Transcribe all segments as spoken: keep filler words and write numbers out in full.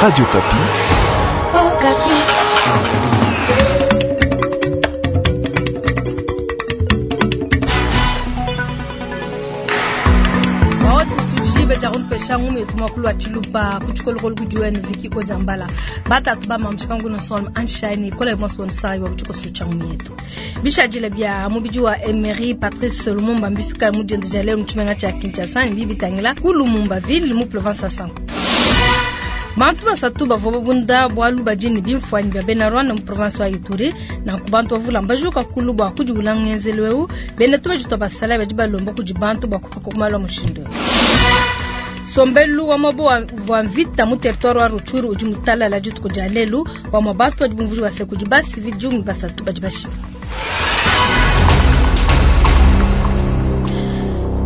Radio Okapi. Okapi. Beja ngumu makulu wa tshiluba ku tshikolokolo kudi wenu viki odiambala batatu ba mamushika ngunu sol anshine kola mos wonu sai wa kutshikoso tsha ngumu yetu bishadile bia mubidi wa Emery Patrice Lumumba mbifika mu dienda lelo mu tshimenga tsha Kinshasa ne bibitangila ku Lumumba ville mu province ya Sango. Bantu basatu bavua babunda bualu badi ne bimfuanyi bia bena Rwanda mu province wa Ituri nanku bantu bavula mbajuka kulu bua kudiwula ngenzelu eu bena tubaji twa basala badi balomba kudi bantu bua kupaka kumalu a mushindu. Sombelu wa mabo wa mvita mu territoire wa Rutshuru udi mutalala dituku dia lelu wa mabantu badi bumvuli base kudi basivi diumi basatu badi bashipa.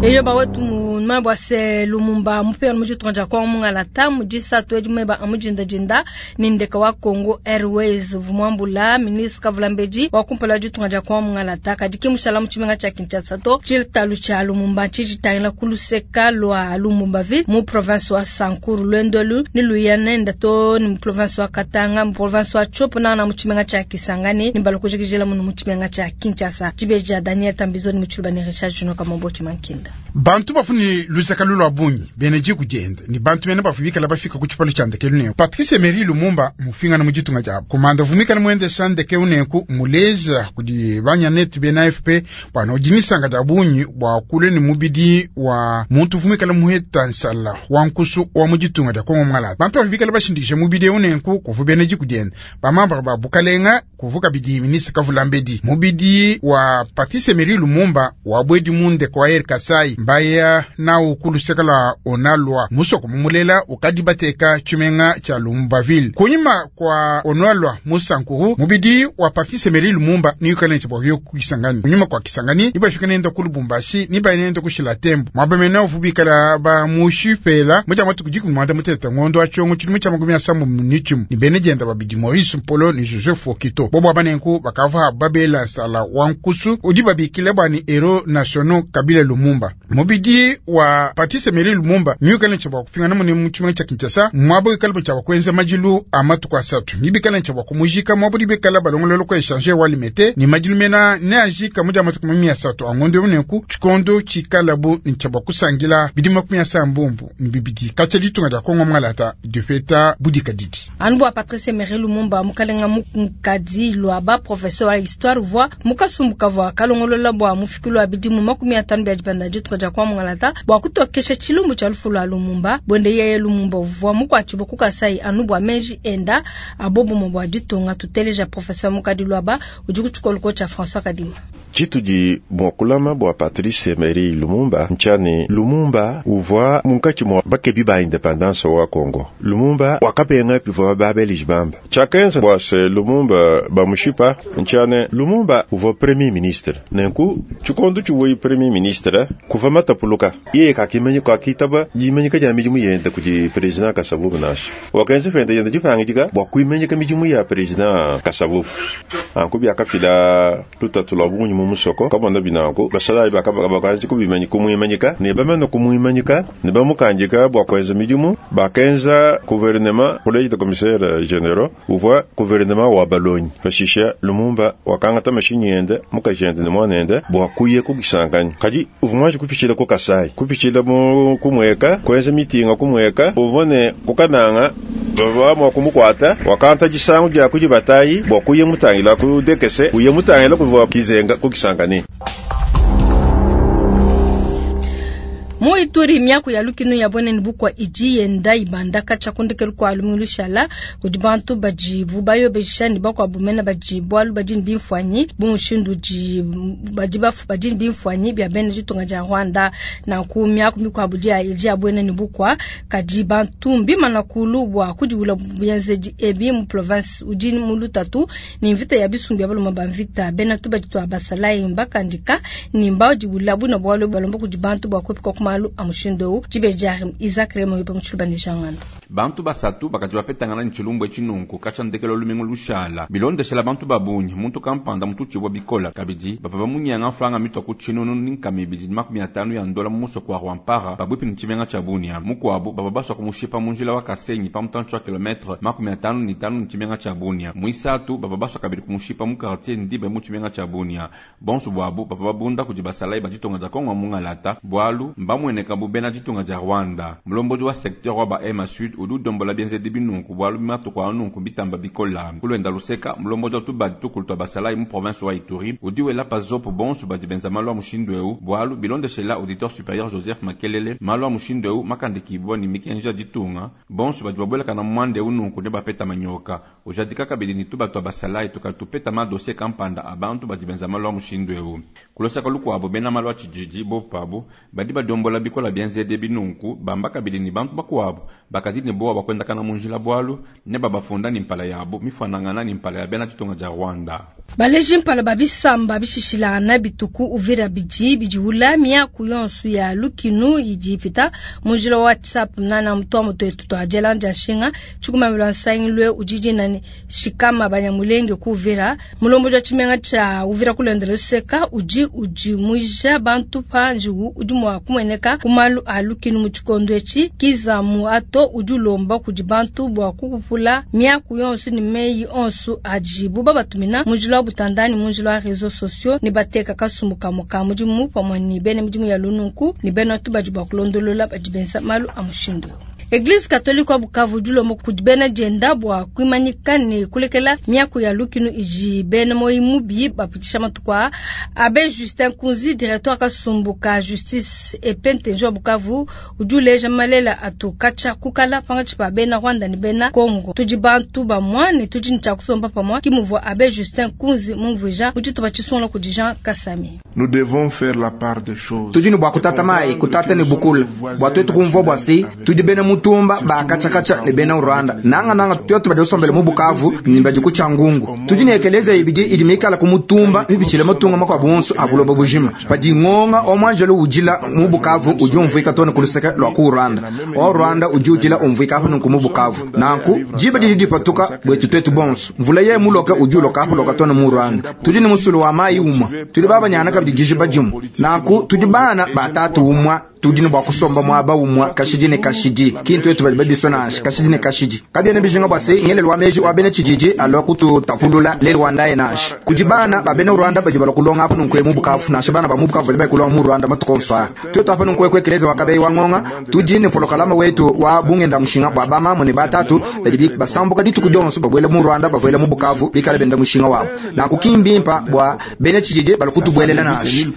Eyo bawetu mu bwa se Lumumba mupera mu ditunga dia Kongo mungalata mu disatu edi mweba amujinda jinda ni ndeka wa Congo Airways vumwambula ministre Kavulambedi wa kumpala ditunga dia Kongo mungalata kadi kimushala mu tshimenga tsha Kinshasa to tshitalu tsha Lumumba tshijitangila kuluseka lwa Lumumba ville mu province wa Sankuru Lwendolu ni Luyanenda to ni mu province wa Katanga mu province wa Tshopo na mu tshimenga tsha Kisangani ni balokujikijela mu mu tshimenga tsha Kinshasa tshibeja Daniel Tambizoni mu tshiluba ni Richard Juno Kamombo Tshimankinda. Bantu bafuni lusaka lulwa bungi beneji kujenda ni bantu bene bafubikala bafika ku tshipalo tsha ndeke lunenku Patrice Emery Lumumba mufingana mu ditunga diabo kumanda vumikala muendesha ndeke unenku muleza kudi banyanetu bena A F P bwana udinisanga dia bungi bwa kule ni mubidi wa muntu vumikala muheta nsala wa nkusu wa mu ditunga dia Kongo mwala bantu bafubikala bashindikisha mubidi unenku kuvu beneji kujenda bamambara ba bukalenga kuvuka bidi ministre Kavulambedi mubidi wa Patrice Emery Lumumba wa bwedi munde kwa Air Kasai mbaya na ukuluseka la onalwa musoko mumulela ukadi bateka tshimenga tsha Lumbaville kunyima kwa onalwa musankuru mubidi wa Patrice Emery Lumumba ni yukale nchi bwa Kisangani kunyima kwa Kisangani nibafika nenda ku Lubumbashi niba nenda kushila tembo mwabamena uvubikala ba mushipela muja matu kujiku mwanda muteta ngondo achongo chilimo cha makumi asambu nichimu ni bene jenda babidi Maurice Mpolo ni Joseph Okito bobo abanenku bakava babela sala wankusu udi babikile bwani hero nationaux Kabila Lumumba mubidi wa Patrice Emery Lumumba nyukale ncha bwa kupingana mune mu tshimenga tsha Kinshasa mwabo ikale ncha bwa kuenza majilu amatuku asatu nibikale ncha bwa kumujika mwabo dibekala balongololo ko échanger wa limete ni majilu mena ne ajika muja matuku makumi asatu angondo munenku tshikondo tshikalabu ncha bwa kusangila bidi makumi asambumbu ni bibidi katsha ditunga dia Kongo mwalata difeta budika didi anu bwa Patrice Emery Lumumba mukalenga mukadi lwaba professeur wa histoire voix mukasumbuka voix kalongolola bwa mufikulu wa bidimu makumi atanu bia dipanda ditunga dia Kongo mwalata bwa kutokesha tshilumbu tsha lufu lwa Lumumba bwende yeye Lumumba uvua mukwatshibwa ku Kasai anu bwa meji enda abobomo bwa ditunga tuteleja professeur mukadi lwaba udi kutshikoluko tsha François Kadima. Tshitudi bua bua Patrice Emery Lumumba nchani Lumumba uvua munkatshi mua bakebi ba independance wa Congo. Lumumba wakabenga pivua ba Belge bamba tshiakenza bua se Lumumba bamushipa nchane Lumumba uvua premier ministre nenku tshikondo tshivua premier ministre kuva matapuluka yeye kakimanyika kakitaba dimanyika dia midimu yende kudi president Kasavubu nasha wakenza fenda yende dipangidika bua kuimanyika midimu ya president Kasavubu anku biakafila lutatu lwa bungi mu musoko kabona binanku basalayi bakabanji kubimanyika kumwimanyika ne bamana kumwimanyika ne bamukanjika bua kuenza midimu bakenza gouvernement collège de commissaires généraux uvua gouvernement wa balonyi pashisha Lumumba wakangata mashinyi yende mukajende ne mwanende bua kuye ku Kisangani kadi uvua mwanji kupitshila ku Kasai kupitshila mu kumweka kuenza mitinga kumweka uvua ne kukananga bava mua kumukwata wakanta disangu dia kudi batayi bua kuye mutangila ku dekese kuye mutangila kuvua kizenga ku Kisangani. Mu Ituri miaku ya lukinu ya bwene bukwa iji yenda ibanda kacha kundekelu kwa lumingu shala kudi bantu baji vubayo bejishani bakwa bumena baji bwalu baji bimfwanyi bumushindu ji baji bafu baji bimfwanyi bya bene ditunga dia Rwanda na ku miaku mikwabu dia iji ya bwene bukwa kadi bantu mbimana kulu bwa kudiwula byenzeji ebi mu province udi mu lutatu ni mvita ya bisumbi ya baloma ba mvita bena tu baji twa basalai mbakandika ni mbao diwula buna bwalu balomba kudi bantu bwa kupika kuma malu malu a mushindu eu. Dibeji Isaac Remo yope mu Tshiluba ne Jean Ngando. Bantu basatu bakadi bapetangana ne tshilumbu etshi nunku katshia ndekelu lumingu lushala bilondeshela bantu babunyi muntu kampanda mututshibwa bikola kabidi bava bamunyanga mfranga mitwa ku tshinunu ni nkama ibidi ne makumi atanu ya ndola mu musoko wa Rwampara pabuipi ne tshimenga tshia Bunia. Mukuabu bava baswa kumushipa mu njila wa Kasenyi pa mutantshi wa kilometre makumi atanu ne tanu ne tshimenga tshia Bunia. Muisatu bava baswa kabidi kumushipa mu quartier Ndibe mu tshimenga tshia Bunia. Bonso bwabu bava babunda kudi basalayi ba ditunga dia Kongo mungalata bwalu mbamweneka bu bena ditunga dia Rwanda. Mulombodi wa secteur wa ba Hema Sud udi udombola bienzedi binunku bwalu matuku a nunku bitamba bikola. Kulwenda luseka mulombodi wa tubadi tukulu twa basalayi mu province wa Ituri udi wela pa zopo bonso badi benza malu a mushindu eu bwalu bilondeshela auditeur supérieur Joseph Makelele malu a mushindu eu makandikibwa ni mikenji ya ditunga bonso badi babwelakana mwande eu nunku ne bapeta manyoka ujadika kabidi ni tuba twa basalayi tukatupeta ma dossier kampanda abantu badi benza malu a mushindu eu. Kulosaka lukwabo bena malu a tshijiji bopabu badi badombola bikola bienzedi binunku bamba kabidi ni bantu bakuabu bakadi ne bowa bakwendakana mu njila bwalu ne babafunda ni mpala yabo mifanangana ni mpala ya bena ditunga dia Rwanda. Baleji mpala babisamba bishishilana bituku Uvira bidi bidiula miaku yonso ya lukinu idi ipita mu njila wa WhatsApp nana mutwa mutu twa jelanja nshinga tshikumamilo nsangilwe ujiji nani shikama banyamulenge ku Uvira mulombo wa tshimenga tsha Uvira kulendela seka uji uji muija bantu panjiwu udi mwa kumweneka kumalu a lukinu mu tshikondo etshi kizamu ato udi ulomba kudi bantu bwa kukupula miaku yonso ni meyi onso ajibu babatumina mu njila wa butandani mu njila wa réseaux sociaux ne bateka kasumbu kamwe mudimu pamwe ni bene midimu ya lununku ni bena tubadi bwa kulondolola badi benza malu a mushindu. Eglise Catholique wa Bukavu dilomba kudi bena dienda bwa kuimanyika ne kulekela miaku ya lukinu iji bena moyi mubi bapitisha matuku a Abbé Justin Kunzi directeur kasumbu ka justice et wa Bukavu udi uleja malela atu kacha kukala pangatshi pa bena Rwanda ni bena Congo tudi bantu ba mwane tudi ntcha kusomba pamwa kimuvua Abbé Justin Kunzi mumvuija udi tuba tshisonga kudi Jean Kasami. Nous devons faire la part des choses. Tudi ne bwa kutata mai kutata ne bukula bwa twetu kumvua bwa si tudi bena mutumba ba kacha kacha ne bena Rwanda nanga nanga twetu badi usombele mu Bukavu ni badi kucha ngungu tudi ne ekeleza ibidi idi mikala ku mutumba bibichile mutunga makwa bonso abuloba bujima padi ngonga omwanjelo ujila mu Bukavu udi umvika tone kuluseka lwa ku Rwanda o Rwanda udi ujila umvika hapa ku mu Bukavu nanku jiba didi dipatuka bwetu twetu bonso mvula ye muloka udi uloka hapo loka tone mu Rwanda tudi ne musulu wa mai umwa tudi baba nyana kabidi jijiba jimu nanku tudi bana batatu umwa tudi ne bwa kusomba mwaba umwa kashidi ne kashidi kintu etu bali babisona kashidi ne kashidi kabiene bijinga bwa se ngele lwa meji wa bene chijiji alwa kutu tapulula le Rwanda enash kujibana ba bene Rwanda baji bala kulonga hapo nkwe mu Bukavu na shabana ba mu Bukavu bali kulonga mu Rwanda matukonfa twetu hapa nkwe kwe keleza wakabe wa ngonga tudi ne polokalama wetu wa bungenda mushinga bwa bama mu ne batatu bali basambuka ditu kudonso babwele mu Rwanda babwele mu Bukavu bikale benda mushinga wabo na kukimbimpa bwa bene chijiji bala kutubwelela nash.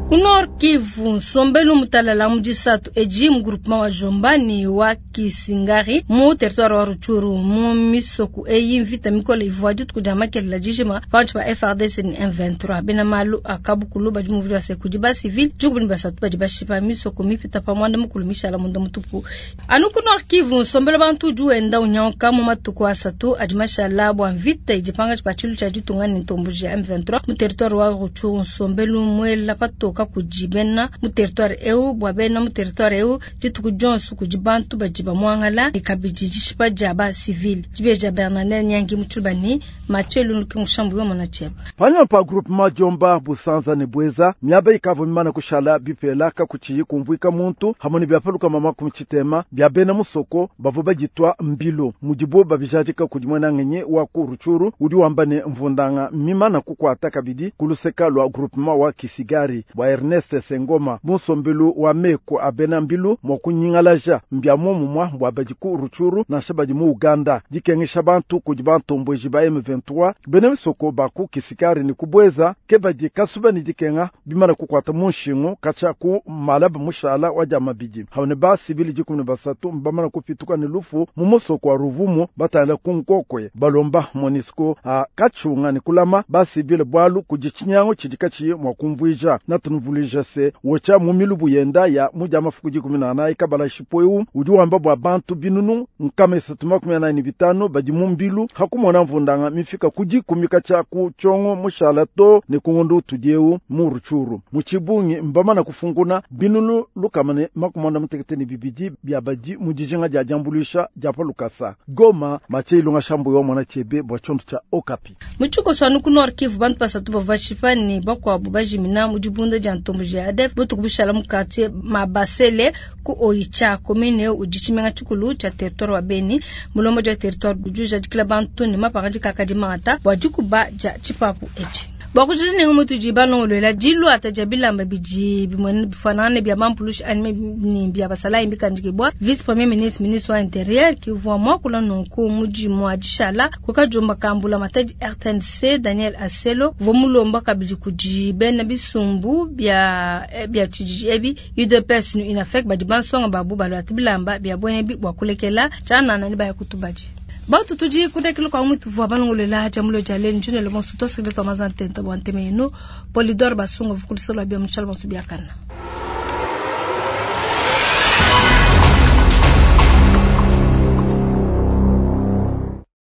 Ku Nord Kivu nsombelu mutalala mu disatu edi mu groupement wa Jomba ni wa Kisingari mu territoire wa Rutshuru mu misoku eyi mvita mikole ivua dituku dia makelela dijima panshi pa F R D C ni M vingt-trois bena malu akabukulu badi muvuli wa sekudi ba civil dikubu ni basatu badi bashipa misoko mipita pa mwanda mukulu mishala munda mutupu. Anu ku Nord Kivu nsombelu bantu udi wenda unyanka mu matuku asatu adi mashala bua mvita idi pangatshi pa tshilu tshia ditunga ni ntomboji ya M vingt-trois mu territoire wa Rutshuru nsombelu muela patoka kudi bena mu territoire eu bua bena mu territoire eu dituku dionso kudi bantu badi bamuangala ikabidi dishipa dia ba civil dibeja Bernardin Nyangi mu Tshiluba ni Mathieu Lunuki Mushambu yo mona tshieba. Panyuma pa groupement Jomba Busanza ne Bweza miaba ikavua mimana kushala bipela kakutshiyi kumvuika muntu hamwe ne biapaluka mama ku tshitema bia bena musoko bavua baditwa mbilo mudibo babijadika kudi mwenangenye wa ku Rutshuru udi wamba ne mvundanga mimana kukwata kabidi kuluseka lwa groupement wa Kisigari bwa Ernest Sengoma musombelu wa meko abena mbilu mwa kunyingalaja mbya momumwa bwa badi ku Rutshuru nansha badi mu Uganda dikengesha bantu kudi bantombweji ba M vingt-trois bena misoko baku Kisigari ni kubweza ke badi kasuba ni dikenga bimana kukwata mu nshingu kacha ku malaba mushala wa dia mabidi habone ba sibili dikumi ne basatu mbamana kupituka ne lufu mu musoko wa Ruvumu batala ku nkokwe balomba Monusco a kachunga ni kulama ba sibili bwalu kudi tshinyango tshidi katshiyi mwa kumvuija na tunuvuluija se wocha mu milubu yenda ya mu mafuku dikumi na anayi kabala shipweu udi wamba bua bantu binunu nkama isatu makumi anayi ne bitanu badi mu mbilu hakumona mvundanga mifika ku dikumi katshia ku tshiongo mushala to ne ku ngondu tudieu mu Rutshuru mu tshibungi mbamana kufunguna binunu lukama ne makumi muanda mutekete ne bibidi bia badi mu dijinga dia diambuluisha dia pa lukasa. Goma Mathieu Ilunga Shambu wa mwana chebe bua tshiondo tshia Okapi. Mu tshikoso ku Nord Kivu bantu basatu bavua bashipa ne bakuabu bajimina mu dibunda dia ntombo dia A D F butuku bushala mu quartier Mabasele ku Oicha, commune udi tshimenga tshikulu tshia territoire wa Beni. Mulombo dia territoire udi ujadikila bantu ne mapangadika akadi mangata bua dikuba dia tshipapu etshi. Bua kujiji nengu mutudi balongolola diluata dia bilamba bidi bifanana bia bampulushi anyi ne bia basalayi mbikandikibwa. Vice premier ministre, ministre wa intérieur kivua muakula nunku mudimu wa dishala kukajumba kambula matadi R T N C. Daniel Aselo uvua mulomba kabidi kudi bena bisumbu bia bia tshididi ebi U D P S ne UNAFEC badi bansonga babu baluata bilamba bia buena bua kulekela tshianana ne baya kutubadi. Batu tudi kudekela kwa mutu vua balongolola dia mulo dia lelu njine le bonso tosikile twa mazantenta bua nteme yenu Polidor Basunga vukulisolo bia mutshala bonso biakana.